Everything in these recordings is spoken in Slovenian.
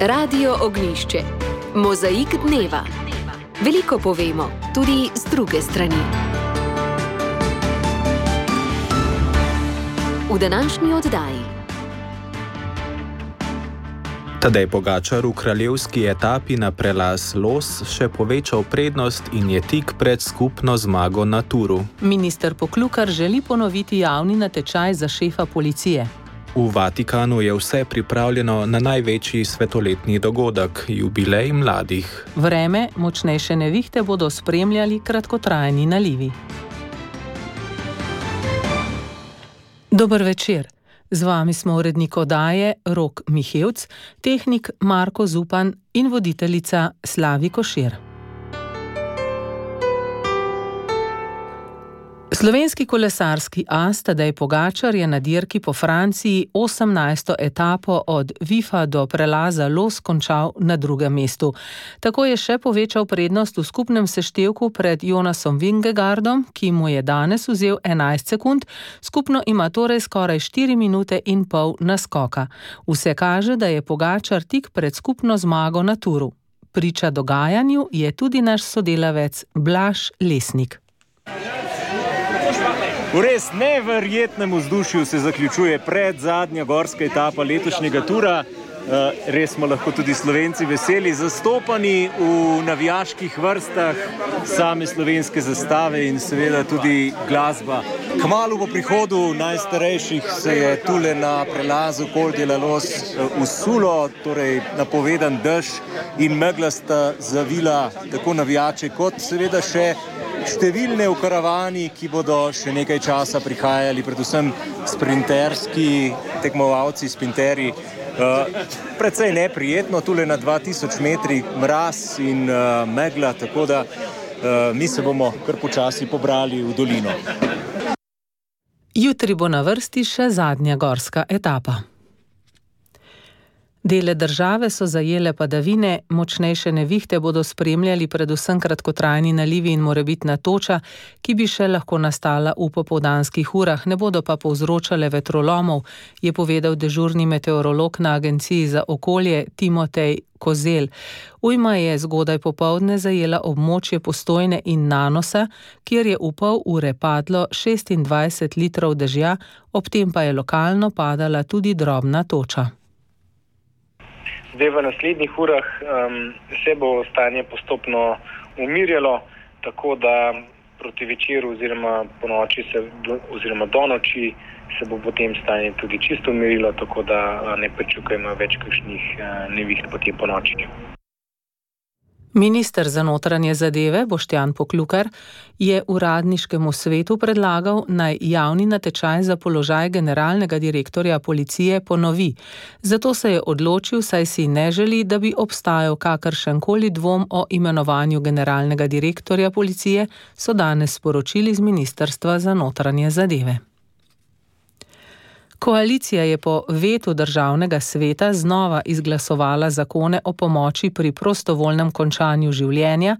Radio Ognjišče. Mozaik dneva. Veliko povemo, tudi z druge strani. V današnji oddaji. Tadej Pogačar v kraljevski etapi na prelaz Los še povečal prednost in je tik pred skupno zmago na Turu. Minister Poklukar želi ponoviti javni natečaj za šefa policije. V Vatikanu je vse pripravljeno na največji svetoletni dogodek, jubilej mladih. Vreme, močnejše nevihte bodo spremljali kratkotrajni nalivi. Dober večer. Z vami smo urednik oddaje Rok Mihevc, tehnik Marko Zupan in voditeljica Slavi Košir. Slovenski kolesarski as Tadej Pogačar je na dirki po Franciji 18. etapo od Vifa do prelaza Los končal na drugem mestu. Tako je še povečal prednost v skupnem seštevku pred Jonasom Vingegaardom, ki mu je danes vzel 11 sekund, skupno ima torej skoraj 4 minute in pol naskoka. Vse kaže, da je Pogačar tik pred skupno zmago na Turu. Priča dogajanju je tudi naš sodelavec Blaž Lesnik. V res neverjetnem vzdušju se zaključuje predzadnja gorska etapa letošnjega Tura. Res smo lahko tudi Slovenci veseli, zastopani v navijaških vrstah, same slovenske zastave in seveda tudi glasba. Kmalu po prihodu najstarejših se je tule na prelazu Col de la Los usulo, torej napovedan dež in megla sta zavila tako navijače kot seveda še številne v karavani, ki bodo še nekaj časa prihajali, predvsem sprinterski tekmovalci, sprinterji. Precej neprijetno, tule na 2000 metrih mraz in megla, tako da mi se bomo kar počasi pobrali v dolino. Jutri bo na vrsti še zadnja gorska etapa. Dele države so zajele padavine, močnejše nevihte bodo spremljali predvsem kratkotrajni nalivi in morebitna toča, ki bi še lahko nastala v popoldanskih urah, ne bodo pa povzročale vetrolomov, je povedal dežurni meteorolog na Agenciji za okolje Timotej Kozel. Ujma je zgodaj popoldne zajela območje Postojne in Nanosa, kjer je v pol ure padlo 26 litrov dežja, ob tem pa je lokalno padala tudi drobna toča. Zdaj v naslednjih urah se bo stanje postopno umirjalo, tako da proti večeru oziroma po noči oziroma do noči se bo potem stanje tudi čisto umirilo, tako da ne pričakujemo več kakšnih neviht potem po noči. Minister za notranje zadeve Boštjan Poklukar je uradniškemu svetu predlagal, naj javni natečaj za položaj generalnega direktorja policije ponovi. Zato se je odločil, saj si ne želi, da bi obstajal kakršenkoli dvom o imenovanju generalnega direktorja policije, so danes sporočili z Ministrstva za notranje zadeve. Koalicija je po vetu državnega sveta znova izglasovala zakone o pomoči pri prostovoljnem končanju življenja,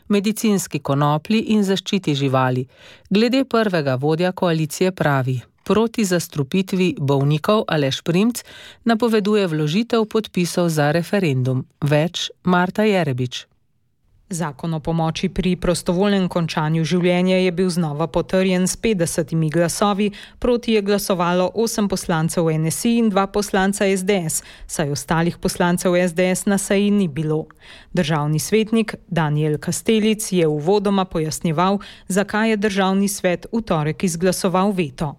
medicinski konoplji in zaščiti živali. Glede prvega vodja koalicije pravi: proti zastrupitvi bolnikov Aleš Primc napoveduje vložitev podpisov za referendum. Več Marta Jerebič. Zakon o pomoči pri prostovoljnem končanju življenja je bil znova potrjen s 50 glasovi, proti je glasovalo 8 poslancev NSI in 2 poslanca SDS, saj ostalih poslancev SDS na seji ni bilo. Državni svetnik Danijel Kastelic je uvodoma pojasnjeval, zakaj je državni svet v torek izglasoval veto.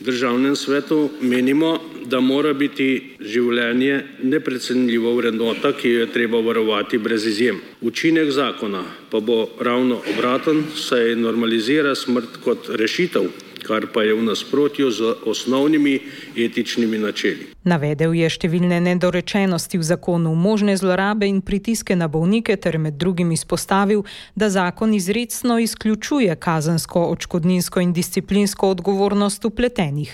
V državnem svetu menimo, da mora biti življenje neprecenljiva vrednota, ki jo je treba varovati brez izjem. Učinek zakona pa bo ravno obraten, saj normalizira smrt kot rešitev, kar pa je v nasprotju z osnovnimi etičnimi načeli. Navedel je številne nedorečenosti v zakonu, možne zlorabe in pritiske na bolnike ter med drugim izpostavil, da zakon izrecno izključuje kazensko, odškodninsko in disciplinsko odgovornost vpletenih.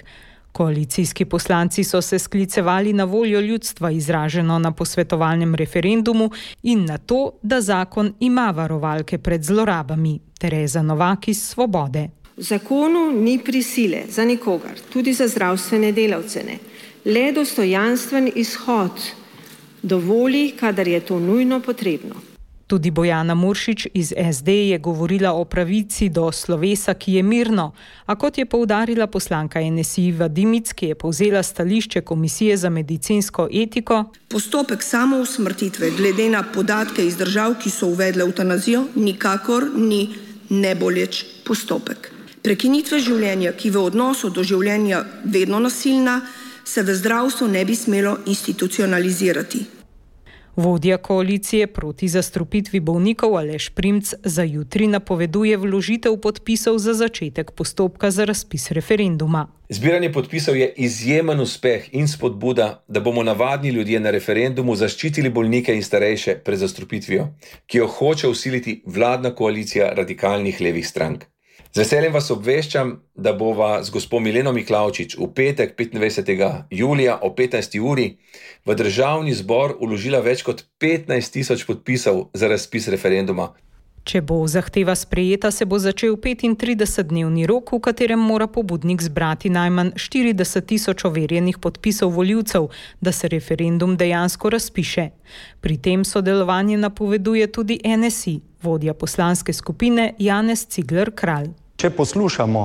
Koalicijski poslanci so se sklicevali na voljo ljudstva izraženo na posvetovalnem referendumu in na to, da zakon ima varovalke pred zlorabami. Tereza Novak iz Svobode. V zakonu ni prisile za nikogar, tudi za zdravstvene delavce ne. Le dostojanstven izhod dovoli, kadar je to nujno potrebno. Tudi Bojana Muršič iz SD je govorila o pravici do slovesa, ki je mirno, a kot je poudarila poslanka NSI Iva Dimic, ki je povzela stališče Komisije za medicinsko etiko. Postopek samousmrtitve glede na podatke iz držav, ki so uvedle evtanazijo, nikakor ni neboleč postopek. Prekinitve življenja, ki v odnosu do življenja vedno nasilna, se v zdravstvu ne bi smelo institucionalizirati. Vodja koalicije proti zastrupitvi bolnikov Aleš Primc za jutri napoveduje vložitev podpisov za začetek postopka za razpis referenduma. Zbiranje podpisov je izjemen uspeh in spodbuda, da bomo navadni ljudje na referendumu zaščitili bolnike in starejše pred zastrupitvijo, ki jo hoče vsiliti vladna koalicija radikalnih levih strank. Z veseljem vas obveščam, da bova z gospo Mileno Miklavčič v petek 25. julija o 15. uri v Državni zbor vložila več kot 15.000 podpisov za razpis referenduma. Če bo zahteva sprejeta, se bo začel 35-dnevni rok, v katerem mora pobudnik zbrati najmanj 40.000 overjenih podpisov volivcev, da se referendum dejansko razpiše. Pri tem sodelovanje napoveduje tudi NSI, vodja poslanske skupine Janez Cigler Kralj. Če poslušamo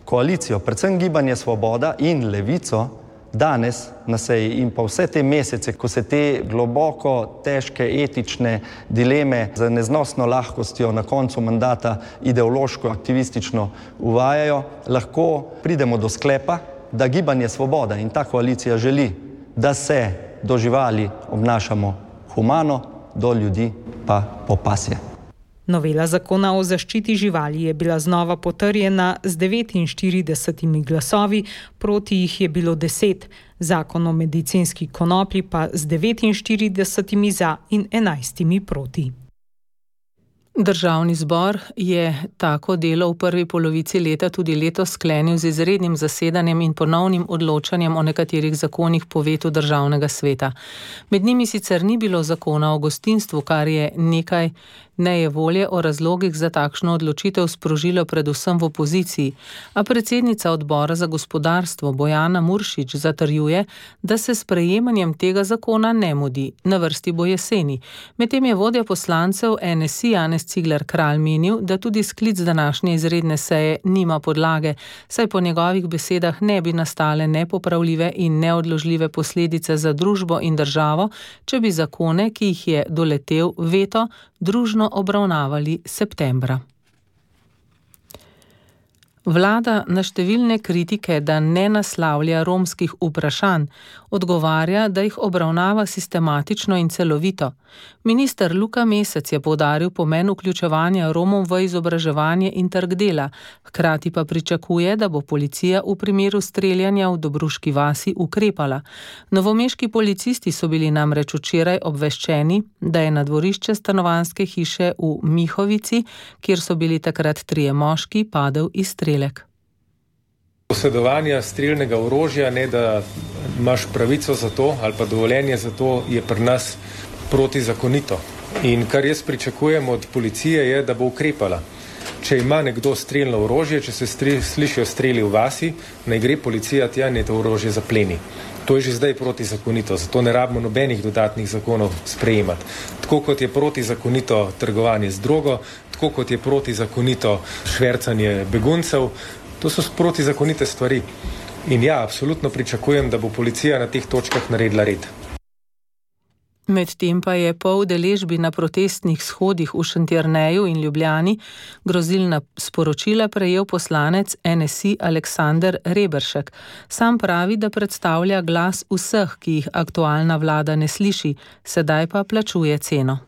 koalicijo, predvsem Gibanje Svoboda in Levico, danes na seji in pa vse te mesece, ko se te globoko težke etične dileme z neznosno lahkostjo na koncu mandata ideološko, aktivistično uvajajo, lahko pridemo do sklepa, da Gibanje Svoboda in ta koalicija želi, da se do živali obnašamo humano, do ljudi pa po pasje. Novela zakona o zaščiti živali je bila znova potrjena z 49 glasovi, proti jih je bilo 10, zakon o medicinski konoplji pa z 49 za in 11 proti. Državni zbor je tako delo v prvi polovici leta tudi letos sklenil z izrednim zasedanjem in ponovnim odločanjem o nekaterih zakonih po vetu Državnega sveta. Med njimi sicer ni bilo zakona o gostinstvu, kar je nekaj nejevolje o razlogih za takšno odločitev sprožilo predvsem v opoziciji, a predsednica odbora za gospodarstvo Bojana Muršič zatrjuje, da se s sprejemanjem tega zakona ne mudi. Na vrsti bo jeseni. Medtem je vodja poslancev NSI Janez Cigler Kralj menil, da tudi sklic današnje izredne seje nima podlage, saj po njegovih besedah ne bi nastale nepopravljive in neodložljive posledice za družbo in državo, če bi zakone, ki jih je doletel veto, družno obravnavali septembra. Vlada na številne kritike, da ne naslavlja romskih vprašanj, odgovarja, da jih obravnava sistematično in celovito. Minister Luka Mesec je poudaril pomen vključevanja Romov v izobraževanje in trg dela, hkrati pa pričakuje, da bo policija v primeru streljanja v Dobruški vasi ukrepala. Novomeški policisti so bili namreč včeraj obveščeni, da je na dvorišče stanovanjske hiše v Mihovici, kjer so bili takrat 3 moški, padel izstrelek. Posedovanje strelnega orožja, ne da imaš pravico za to ali pa dovoljenje za to, je pri nas protizakonito. In kar jaz pričakujem od policije je, da bo ukrepala. Če ima nekdo strelno orožje, če se slišijo streli v vasi, naj gre policija tja in to orožje zapleni. To je že zdaj protizakonito, zato ne rabimo nobenih dodatnih zakonov sprejemati. Tako kot je protizakonito trgovanje z drogo, tako kot je protizakonito švercanje beguncev, to so protizakonite stvari. In ja, absolutno pričakujem, da bo policija na teh točkah naredila red. Medtem pa je po udeležbi na protestnih shodih v Šentjerneju in Ljubljani grozilna sporočila prejel poslanec NSI Aleksander Reberšek. Sam pravi, da predstavlja glas vseh, ki jih aktualna vlada ne sliši, sedaj pa plačuje ceno.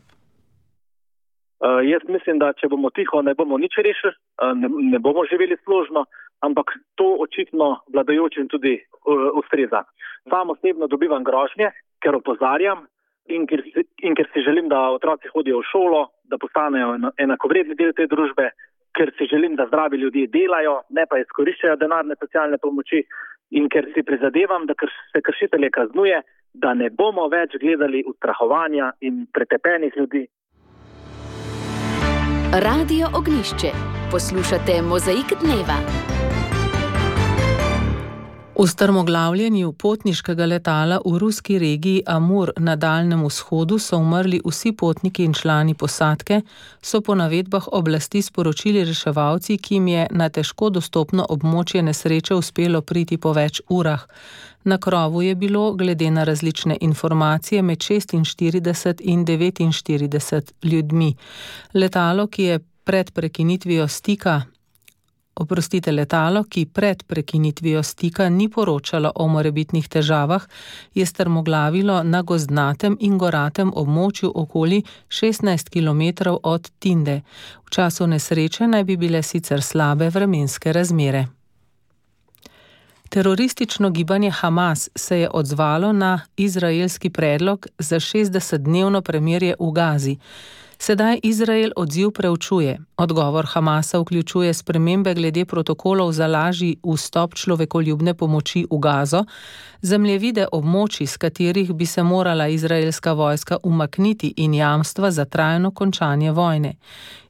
Jaz mislim, da če bomo tiho, ne bomo nič rešili, ne bomo živeli složno, ampak to očitno vladajočim tudi ustreza. Sam osebno dobivam grožnje, ker opozarjam, in ker si želim, da otroci hodijo v šolo, da postanejo enakovredni del te družbe, ker si želim, da zdravi ljudje delajo, ne pa izkoriščajo denarne socialne pomoči, in ker si prizadevam, da se kršitelje kaznuje, da ne bomo več gledali ustrahovanja in pretepenih ljudi. Radio Ognjišče. Poslušate Mozaik dneva. V strmoglavljenju potniškega letala v ruski regiji Amur na Daljnem vzhodu so umrli vsi potniki in člani posadke, so po navedbah oblasti sporočili reševalci, ki jim je na težko dostopno območje nesreče uspelo priti po več urah. Na krovu je bilo, glede na različne informacije, med 46 in 49 ljudmi. Letalo, ki pred prekinitvijo stika ni poročalo o morebitnih težavah, je strmoglavilo na gozdnatem in goratem območju okoli 16 km od Tinde. V času nesreče naj bi bile sicer slabe vremenske razmere. Teroristično gibanje Hamas se je odzvalo na izraelski predlog za 60-dnevno premirje v Gazi. Sedaj Izrael odziv preučuje. Odgovor Hamasa vključuje spremembe glede protokolov za lažji vstop človekoljubne pomoči v Gazo, zemljevide območij, s katerih bi se morala izraelska vojska umakniti in jamstva za trajno končanje vojne.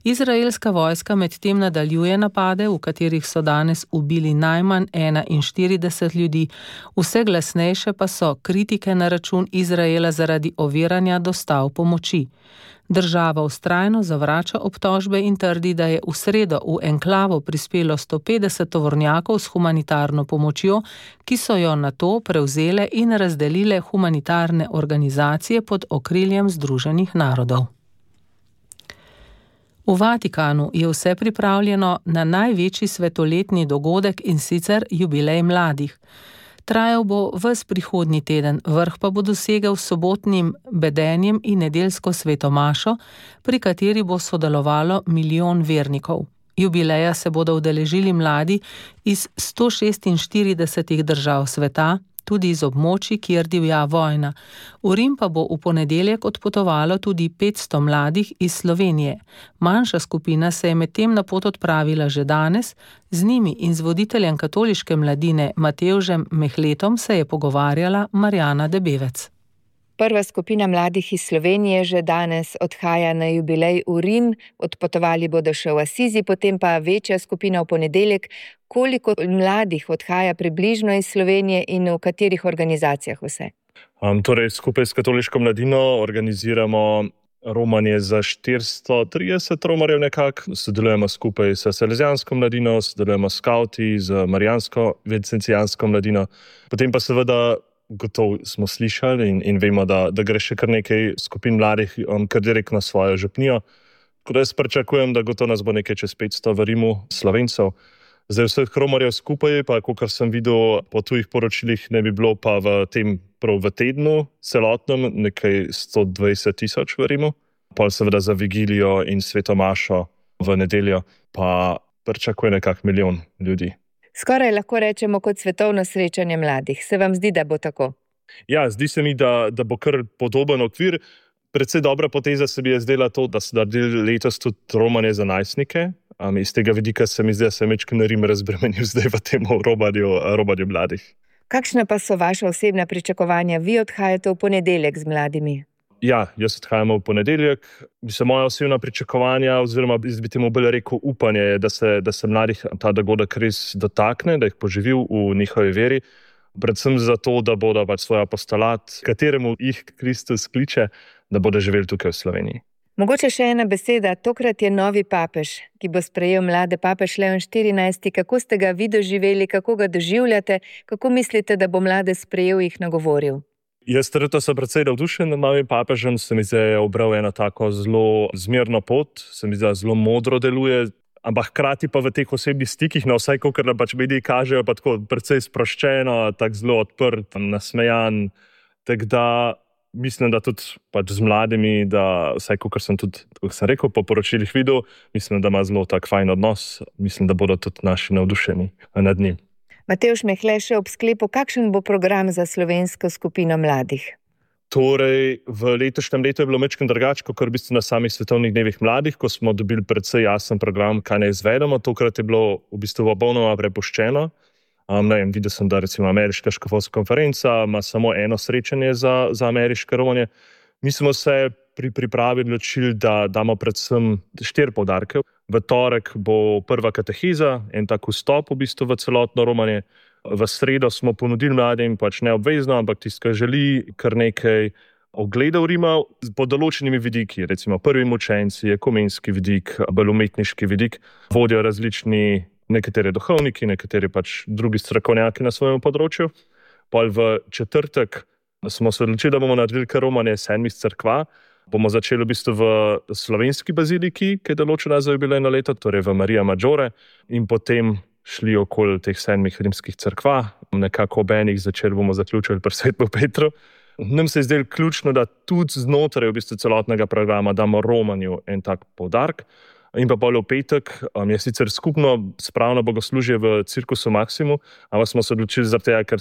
Izraelska vojska medtem nadaljuje napade, v katerih so danes ubili najmanj 41 ljudi, vse glasnejše pa so kritike na račun Izraela zaradi oviranja dostav pomoči. Država vztrajno zavrača obtožbe in trdi, da je v sredo v enklavo prispelo 150 tovornjakov s humanitarno pomočjo, ki so jo nato prevzele in razdelile humanitarne organizacije pod okriljem Združenih narodov. V Vatikanu je vse pripravljeno na največji svetoletni dogodek, in sicer jubilej mladih. Trajal bo ves prihodnji teden, vrh pa bo dosegel s sobotnim bedenjem in nedeljsko svetomašo, pri kateri bo sodelovalo 1 milijon vernikov. Jubileja se bodo udeležili mladi iz 146 držav sveta, tudi iz območij, kjer divja vojna. V Rim pa bo v ponedeljek odpotovalo tudi 500 mladih iz Slovenije. Manjša skupina se je medtem na pot odpravila že danes, z njimi in z voditeljem katoliške mladine Matevžem Mehletom se je pogovarjala Marjana Debevec. Prva skupina mladih iz Slovenije že danes odhaja na jubilej v Rim, odpotovali bodo še v Asizi, potem pa večja skupina v ponedeljek. Koliko mladih odhaja približno iz Slovenije in v katerih organizacijah vse? Skupaj s katoliško mladino organiziramo romanje za 430 romarjev nekako. Sodelujemo skupaj s salezijansko mladino, sodelujemo s skauti, z marijansko vincentijansko mladino. Potem pa seveda gotovo smo slišali in vemo, da gre še kar nekaj skupin mladih kar direktno na svojo župnijo. Tako da jaz pričakujem, da gotovo nas bo nekaj čez 500 v Rimu Slovencev. Zdaj vseh romarjev skupaj, pa kolikor sem videl po tujih poročilih, ne bi bilo pa v tednu celotnem nekaj 120 000 v Rimu. Pol seveda za vigilijo in svetomašo v nedeljo pa pričakuje nekak 1 milijon ljudi. Skoraj lahko rečemo kot svetovno srečanje mladih. Se vam zdi, da bo tako? Ja, zdi se mi, da bo kar podoben okvir. Predvsej dobra poteza se mi je zdela to, da so naredili letos tudi romanje za najstnike. Iz tega vidika se mi zdi, da se je Rim razbremenil zdaj v tem robanju mladih. Kakšna pa so vaša osebna pričakovanja? Vi odhajate v ponedeljek z mladimi. Ja, jaz odhajam v ponedeljek. Moja osebna pričakovanja, oziroma bi temu bolj rekel upanje, je, da se mladih ta dogodek res dotakne, da jih poživi v njihovi veri. Predvsem zato, da bodo svoj apostolat, kateremu jih Kristus kliče, da bodo živeli tukaj v Sloveniji. Mogoče še ena beseda. Tokrat je novi papež, ki bo sprejel mlade, papež Leon 14. Kako ste ga vi doživeli, kako ga doživljate, kako mislite, da bo mlade sprejel, jih nagovoril? Jaz trenutno sem precej navdušen nad novim papežem, se mi zdi, da je obral eno tako zelo zmerno pot, se mi zdi, da zelo modro deluje, ampak hkrati pa v teh osebnih stikih, vsaj kakor nam mediji kažejo, pa tako precej sproščeno, tako zelo odprt, nasmejan. Tako da mislim, da tudi z mladimi, da vsaj kakor sem tudi, kot sem rekel, po poročilih videl, mislim, da ima zelo tak fajn odnos, mislim, da bodo tudi naši navdušeni nad njim. Matevž Mehle, še ob sklepu, kakšen bo program za slovensko skupino mladih? V letošnjem letu je bilo malo drugače, kot v bistvu na samih svetovnih dnevih mladih, ko smo dobili precej jasen program, kaj naj izvedemo. Tokrat je bilo v bistvu popolnoma prepuščeno. Videl sem, da recimo ameriška škofovska konferenca ima samo eno srečanje za ameriške romanje. Mi smo se pri pripravi odločili, da damo predvsem 4 poudarke. V torek bo prva kateheza, en tak vstop v bistvu v celotno romanje. V sredo smo ponudili mladim pač neobvezno, ampak tisti, ki želi, kar nekaj ogledov Rima po določenimi vidiki, recimo prvi mučenci, ekumenski vidik, bolj umetniški vidik, vodijo različni nekateri duhovniki, nekateri pač drugi strokovnjaki na svojem področju. Pol v četrtek smo se odločili, da bomo naredili kar romanje 7 cerkva. Bomo začeli v bistvu v slovenski baziliki, ki je določena za jubilejno leto, torej v Marija Maggiore, in potem šli okoli teh 7 rimskih cerkva, nekako ob enih začeli bomo zaključili pri Svetem Petru. Nam se je zdelo ključno, da tudi znotraj v bistvu celotnega programa damo romanju en tak poudarek. In pa bolj v petek je sicer skupno spravno bogoslužje v Cirkusu Maximu, ampak smo se odločili zaradi tega, ker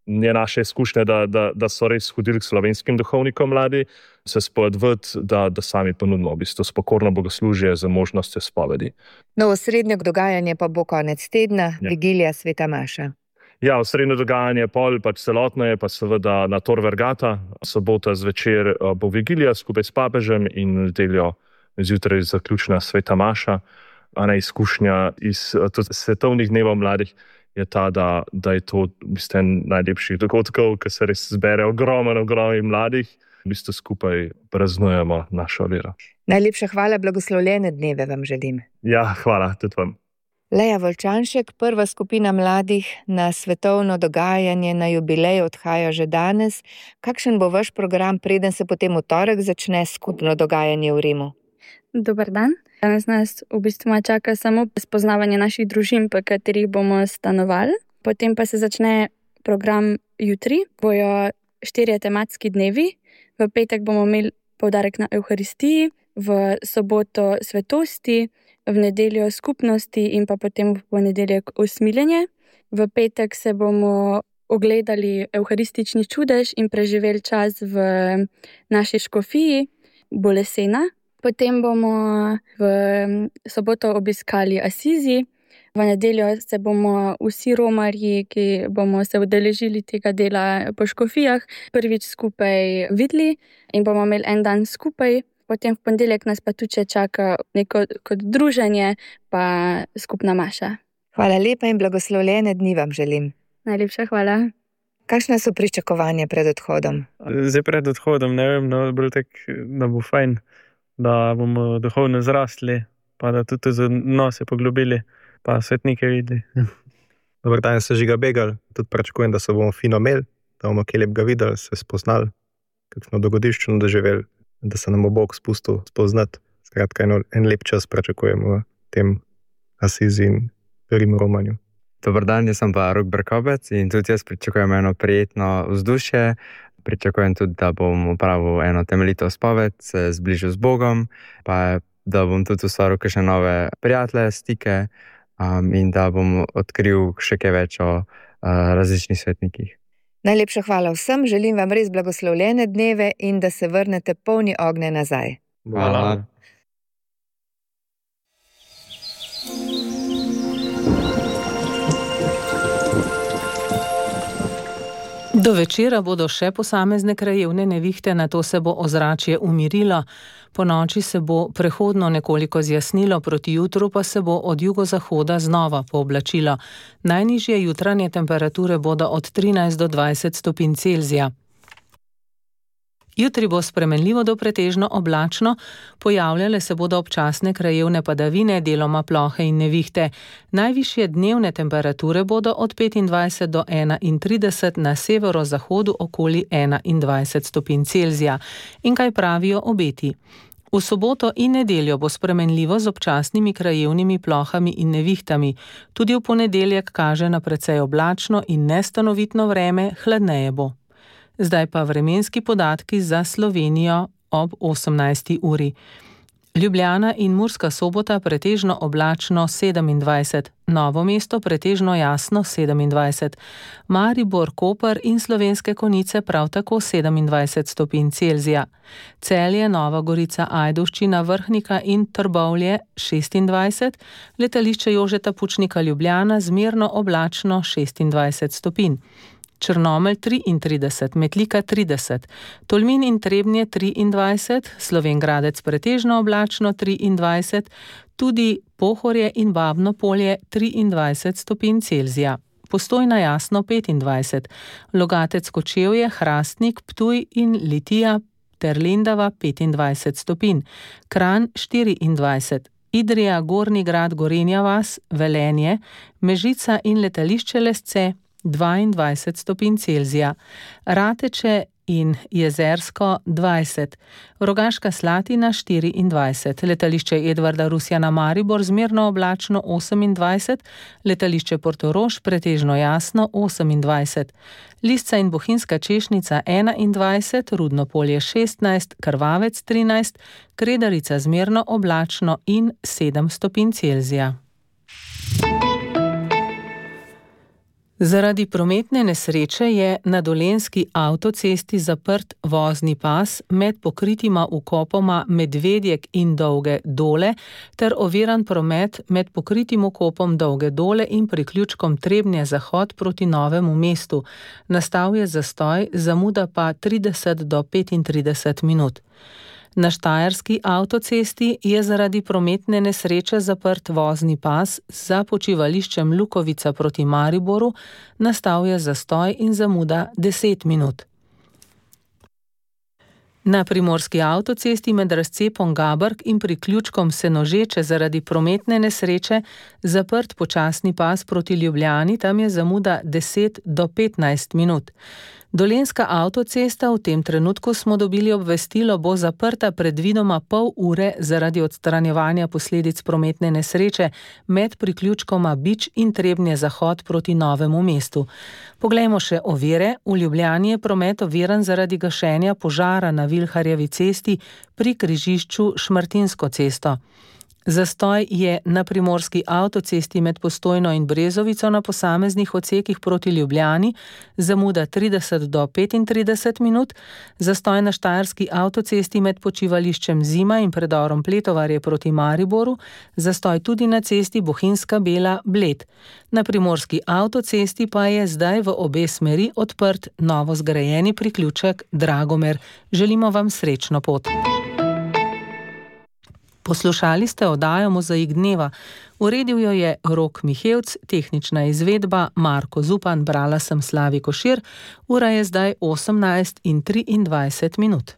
je naše izkušnje, da so res hodili k slovenskim duhovnikom mladi, se spodvati, da sami ponudimo v bistvu spokorno bogoslužje z možnostjo spovedi. No, osrednje dogajanje pa bo konec tedna, vigilija Sveta Maša. Ja, osrednje dogajanje pol, pač celotno je pa seveda na Tor Vergata, sobota zvečer bo vigilija skupaj s papežem in nedeljo zjutraj zaključna Sveta Maša. Izkušnja iz svetovnih dnevov mladih je ta, da je to v bistvu en najlepših dogodkov, ker se res zbere ogromno mladih, v bistvu skupaj praznujemo našo vero. Najlepša hvala, blagoslovljene dneve vam želim. Ja, hvala, tudi vam. Leja Volčanšek, prva skupina mladih na svetovno dogajanje na jubilej odhaja že danes. Kakšen bo vaš program, preden se potem v torek začne skupno dogajanje v Rimu? Dober dan. Danes nas v bistvu čaka samo spoznavanje naših družin, po katerih bomo stanovali. Potem pa se začne program jutri. Bojo 4 tematski dnevi. V petek bomo imeli poudarek na Evharistiji, v soboto svetosti, v nedeljo skupnosti in pa potem v ponedeljek usmiljenje. V petek se bomo ogledali evharistični čudež in preživeli čas v naši škofiji Bolesena. Potem bomo v soboto obiskali Asizi. V nedeljo se bomo vsi romarji, ki bomo se udeležili tega dela po škofijah, prvič skupaj videli in bomo imeli en dan skupaj. Potem v ponedeljek nas pa tudi čaka neko kot druženje pa skupna maša. Hvala lepa in blagoslovljene dni vam želim. Najlepša hvala. Kakšne so pričakovanja pred odhodom? Zdaj pred odhodom, ne vem, bolj tak, da bo fajn, da bomo duhovno zrastli, pa da tudi z nose poglobili, pa svetnike videli. Dobar dan, se Žiga Begal, tudi pričakujem, da se bomo fino imeli, da bomo kaj lepega videli, se spoznali, kakšno dogodiščino doživeli, da se nam bo Bog spustil spoznati. Skratka, en lep čas pričakujemo v tem Asizi in Rimu romanju. Dobar dan, jaz sem pa Rok Brkobec in tudi jaz pričakujem eno prijetno vzdušje. Pričakujem tudi, da bom opravil eno temeljito spoved, se zbližil z Bogom, pa da bom tudi ustvaril kakšne nove prijatelje, stike in da bom odkril še kaj več o različnih svetnikih. Najlepša hvala vsem, želim vam res blagoslovljene dneve in da se vrnete polni ognja nazaj. Hvala. Do večera bodo še posamezne krajevne nevihte, nato se bo ozračje umirilo. Po noči se bo prehodno nekoliko zjasnilo, proti jutru pa se bo od jugozahoda znova pooblačilo. Najnižje jutranje temperature bodo od 13 do 20 stopinj Celzija. Jutri bo spremenljivo do pretežno oblačno, pojavljale se bodo občasne krajevne padavine, deloma plohe in nevihte. Najvišje dnevne temperature bodo od 25 do 31, na severozahodu okoli 21 stopinj Celzija. In kaj pravijo obeti? V soboto in nedeljo bo spremenljivo z občasnimi krajevnimi plohami in nevihtami. Tudi v ponedeljek kaže na precej oblačno in nestanovitno vreme, hladneje bo. Zdaj pa vremenski podatki za Slovenijo ob 18. uri. Ljubljana in Murska Sobota pretežno oblačno 27, Novo mesto pretežno jasno 27, Maribor, Koper in Slovenske Konjice prav tako 27 stopinj Celzija, Celje, Nova Gorica, Ajdovščina, Vrhnika in Trbovlje 26, letališče Jožeta Pučnika Ljubljana zmerno oblačno 26 stopinj. Črnomelj 33, Metlika 30, Tolmin in Trebnje 23, Slovenj Gradec pretežno oblačno 23, tudi Pohorje in Babno Polje 23 stopinj Celzija. Postojna Jasno 25, Logatec Kočevje, Hrastnik, Ptuj in Litija ter Lendava 25 stopinj, Kranj 24, Idrija, Gornji Grad, Gorenja vas, Velenje, Mežica in letališče Lesce 22 stopinj Celzija, Rateče in Jezersko 20, Rogaška Slatina 24, letališče Edvarda Rusjana Maribor zmerno oblačno 28, letališče Portorož pretežno jasno 28, Lisca in Bohinjska Češnica 21, Rudno Polje 16, Krvavec 13, Kredarica zmerno oblačno in 7 stopinj Celzija. Zaradi prometne nesreče je na Dolenjski avtocesti zaprt vozni pas med pokritima vkopoma Medvedjek in Dolge Dole ter oviran promet med pokritim vkopom Dolge Dole in priključkom Trebnje Zahod proti Novemu mestu. Nastal je zastoj, zamuda pa 30 do 35 minut. Na Štajerski avtocesti je zaradi prometne nesreče zaprt vozni pas za počivališčem Lukovica proti Mariboru, nastal je zastoj in zamuda 10 minut. Na Primorski avtocesti med razcepom Gabrk in priključkom Senožeče zaradi prometne nesreče zaprt počasni pas proti Ljubljani, tam je zamuda 10 do 15 minut. Dolenjska avtocesta, v tem trenutku smo dobili obvestilo, bo zaprta predvidoma pol ure zaradi odstranjevanja posledic prometne nesreče med priključkoma Bič in Trebnje Zahod proti Novemu mestu. Poglejmo še ovire. V Ljubljani je promet oviran zaradi gašenja požara na Vilharjevi cesti pri križišču Šmartinsko cesto. Zastoj je na Primorski avtocesti med Postojno in Brezovico na posameznih odsekih proti Ljubljani, zamuda 30 do 35 minut, zastoj na Štajerski avtocesti med počivališčem Zima in predorom Pletovarje proti Mariboru, zastoj tudi na cesti Bohinjska Bela Bled. Na Primorski avtocesti pa je zdaj v obe smeri odprt novo zgrajeni priključek Dragomer. Želimo vam srečno pot. Poslušali ste oddajo Mozaik dneva. Uredil jo je Rok Mihevc, tehnična izvedba Marko Zupan, brala sem Slavi Košir. Ura je zdaj 18:23 minut.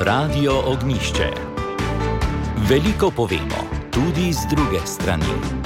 Radio Ognjišče. Veliko povemo, tudi z druge strani.